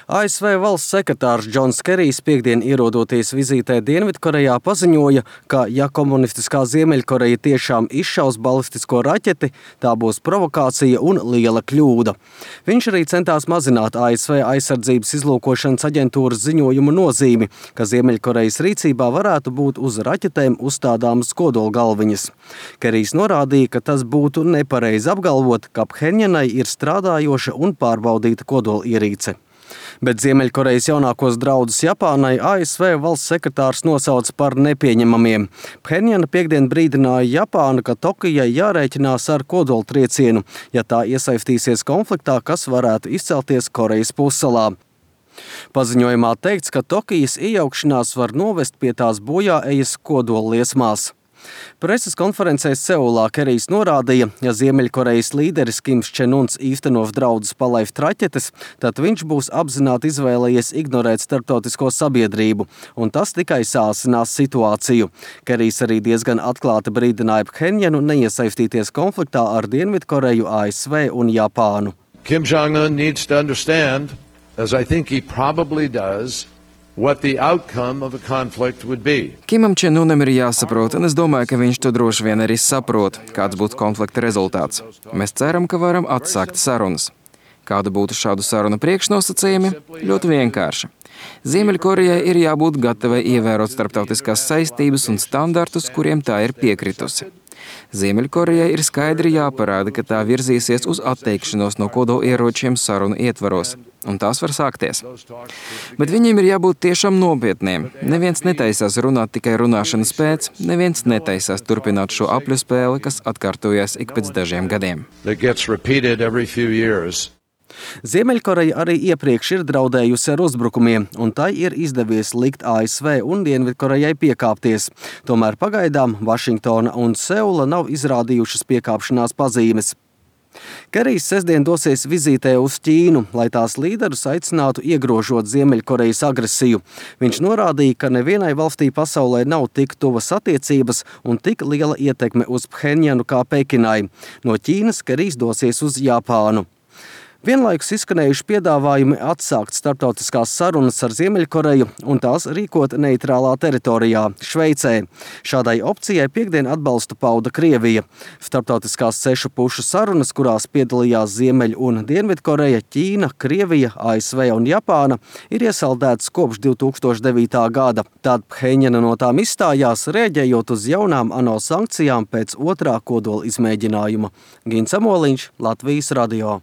ASV valsts sekretārs Džons Kerijs piekdien ierodoties vizītē Dienvidkorejā paziņoja, ka ja komunistiskā Ziemeļkoreja tiešām izšaus balistisko raķeti, tā būs provokācija un liela kļūda. Viņš arī centās mazināt ASV aizsardzības izlūkošanas aģentūras ziņojumu nozīmi, ka Ziemeļkorejas rīcībā varētu būt uz raķetēm uzstādāmas kodolgalviņas. Kerijs norādīja, ka tas būtu nepareizi apgalvot, ka Phenjanai ir strādājoša un pārbaudīta kodolierīce. Bet Ziemeļkorejas jaunākos draudus Japānai ASV valsts sekretārs nosauca par nepieņemamiem. Phenjana piekdien brīdināja Japānu, ka Tokijai jārēķinās ar kodoltriecienu, ja tā iesaistīsies konfliktā, kas varētu izcelties Korejas pussalā. Paziņojumā teikts, ka Tokijas iejaukšanās var novest pie tās bojāejas kodolliesmās. Preses konferencē Seulā Kerijs norādīja, ja Ziemeļkorejas līderis Kims Čen Uns īstenos draudus palaikt raķetes, tad viņš būs apzināti izvēlējies ignorēt starptautisko sabiedrību, un tas tikai sāsinās situāciju. Kerijs arī diezgan atklāti brīdināja Phenjanu neiesaistīties konfliktā ar Dienvidkoreju, ASV un Japānu. Kim Jong-un needs to understand, as I think he probably does, what the outcome of a conflict would be. Kimam Čen Unam ir jāsaprot, un es domāju, ka viņš to droši vien arī saprot, kāds būtu konflikta rezultāts. Mēs ceram, ka varam atsākt sarunas. Kāda būtu šādu sarunu priekšnosacījumi? Ļoti vienkārši. Ziemeļkorejai ir jābūt gatavai ievērot starptautiskās saistības un standartus, kuriem tā ir piekritusi. Ziemeļkorejai ir skaidri jāparāda, ka tā virzīsies uz atteikšanos no kodolieročiem sarunu ietvaros, un tās var sākties. Bet viņiem ir jābūt tiešām nopietniem. Neviens netaisās runāt tikai runāšanas pēc, neviens netaisās turpināt šo apļu spēli, kas atkārtojas ik pēc dažiem gadiem. Ziemeļkoreja arī iepriekš ir draudējusi ar uzbrukumiem, un tai ir izdevies likt ASV un Dienvidkorejai piekāpties. Tomēr pagaidām Vašingtona un Seula nav izrādījušas piekāpšanās pazīmes. Kerijs sestdien dosies vizītē uz Ķīnu, lai tās līderus aicinātu iegrožot Ziemeļkorejas agresiju. Viņš norādīja, ka nevienai valstī pasaulē nav tik tuvas attiecības un tik liela ietekme uz Phenjanu kā Pekinai. No Ķīnas Kerijs dosies uz Japānu. Vienlaikus izskanējuši piedāvājumi atsākt starptautiskās sarunas ar Ziemeļkoreju un tās rīkot neitrālā teritorijā, Šveicē. Šādai opcijai piekdien atbalstu pauda Krievija. Starptautiskās 6 pušu sarunas, kurās piedalījās Ziemeļ- un Dienvidkoreja, Ķīna, Krievija, ASV un Japāna, ir iesaldētas kopš 2009. gada. Tad Phenjana no tām izstājās, rēģējot uz jaunām ANO sankcijām pēc otrā kodola izmēģinājuma. Gins Amoliņš, Latvijas radio.